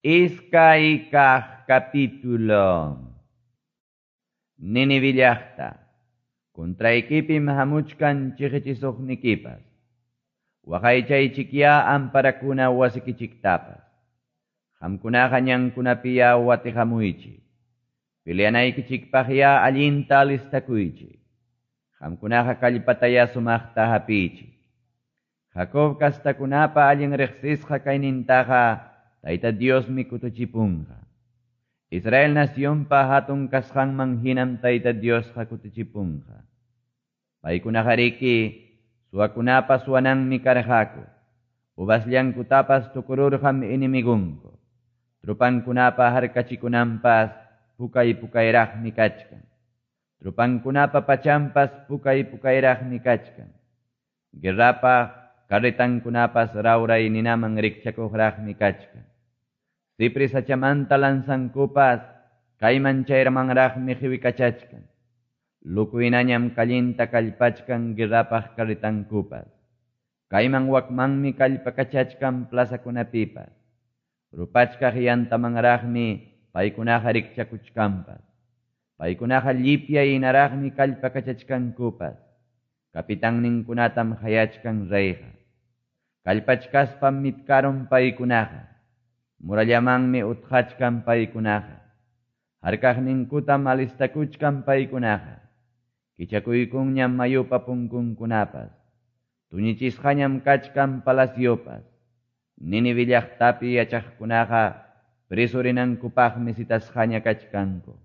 Iskay kaq capítulo. Nínive llaqta, contraykipim hamuchkan chiqichisuqnikipas. Waqaychaychikyá amparakuna wasikichiktapas. Qamkunaqa ñankunapiya watiqamuychik. Peleanaykichikpaqyá allinta alistakuychik. Qamkunaqa kallpatayá sumaqta hapiychik. Jacob kastakunapa allin riqsisqa kaynintaqa Tayta Diosmi kutuchipunqa. Israel nacionpa hatun kasqanman hinam Tayta Diosqa kutichipunqa. Paykunaqariki suwakunapa suwananmi karqaku. Uvasllankutapas tukururqam enemigunku. Trupankunapa harkachikunanpas pukay pukayraqmi kachkan. Trupankunapa pachampas pukay pukayraqmi kachkan. Guerrapa carretankunapas rawray ninaman rikchakuqraqmi kachkan. Cipris sachamanta lanzankupas kayman chayramanraqmi qiwikachachkan. Lukuynañam kallinta kallpachkan guerrapaq carretankupas. Kayman wakmanmi kallpakachachkan plazakunapipas. Rupachkaq yantamanraqmi paykunaqa rikchakuchkanpas. Paykunaqa llipya hinaraqmi kallpakachachkankupas. Kapitanninkunatam hayachkan reyqa. Kallpachkaspam mitkarun paykunaqa. Murallamanmi utqachkan paykunaqa. Harkaqninkutam alistakuchkan paykunaqa. Kichakuykunñam mayupa punkunkunapas. Tuñichisqañam kachkan palaciopas. Nínive llaqtapi yachaqkunaqa preso rinankupaqmi citasqaña kachkanku.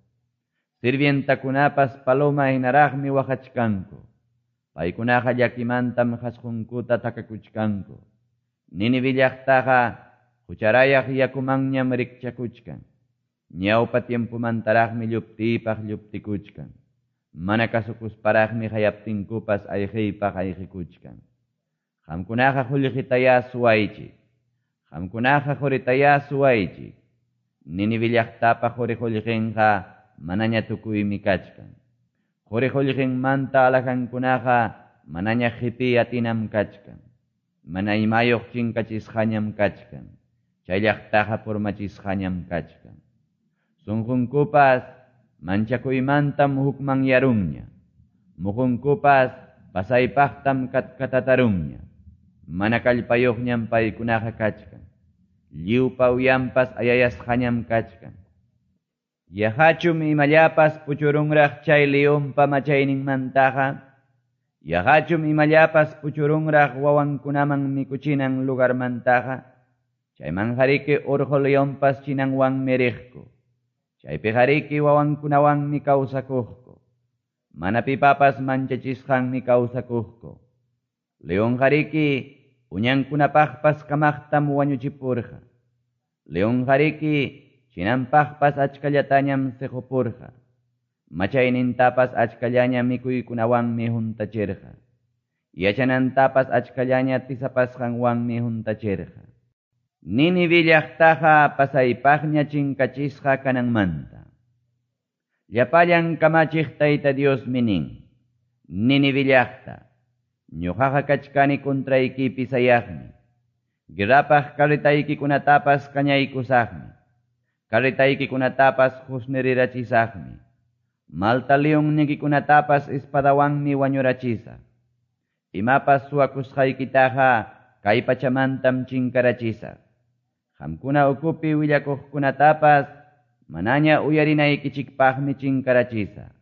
Sirvientakunapas paloma hinaraqmi waqachkanku. Paykunaqa llakimantam qasqunkuta takakuchkanku. Nínive llaqtaqa hucharayaq yakumanñam rikchakuchkan. Ñawpa tiempomantaraqmi lluptiypaq lluptikuchkan. Mana kasukusparaqmi hayaptinkupas ayqiypaq ayqikuchkan. Qamkunaqa qullqitayá suwaychik. Qamkunaqa quritayá suwaychik. Nínive llaqtapa quri qullqinqa manaña tukuymi kachkan. Quri qullqinmanta alhajankunaqa manaña qipiy atinam kachkan. Mana imayuq chinkachisqañam kachkan. Chay llaqtaqa purmachisqañam kachkan. Sunqunkupas manchakuymantam hukmanyarunña. Muqunkupas pasaypaqtam katkatatarunña. Mana kallpayuqñam paykunaqa kachkan. Lliwpa uyanpas ayayasqañam kachkan. Yaqachum imallapas puchurunraq chay leonpa machayninmantaqa. Yaqachum imallapas puchurunraq wawankunaman mikuchinan lugarmantaqa. Chaymanqariki urqu leonpas chinanwanmi riqku. Chaypiqariki wawankunawanmi kawsakuqku. Mana pipapas manchachisqanmi kawsakuqku. Leonqariki uñankunapaqpas kamaqtam wañuchipurqa. Leonqariki chinanpaqpas achkallatañam siqupurqa. Machaynintapas achkallaña mikuykunawanmi huntachirqa. Yachanantapas achkallaña tisapasqanwanmi huntachirqa. Nínive llaqtaqa pasaypaqña chinkachisqa kananmanta. Llapallan kamachiq Tayta Diosmi nin. Nínive llaqta, ñuqaqa kachkani contraykipi sayaqmi. Guerrapaq carretaykikunatapas kañaykusaqmi. Carretaykikunatapas husnirirachisaqmi. Malta leonnikikunatapas espadawanmi wañurachisaq. Imapas suwakusqaykitaqa kay pachamantam chinkarachisaq. Qamkuna ukupi willakuqkunatapas manaña uyarinaykichikpaqmi chinkarachisaq.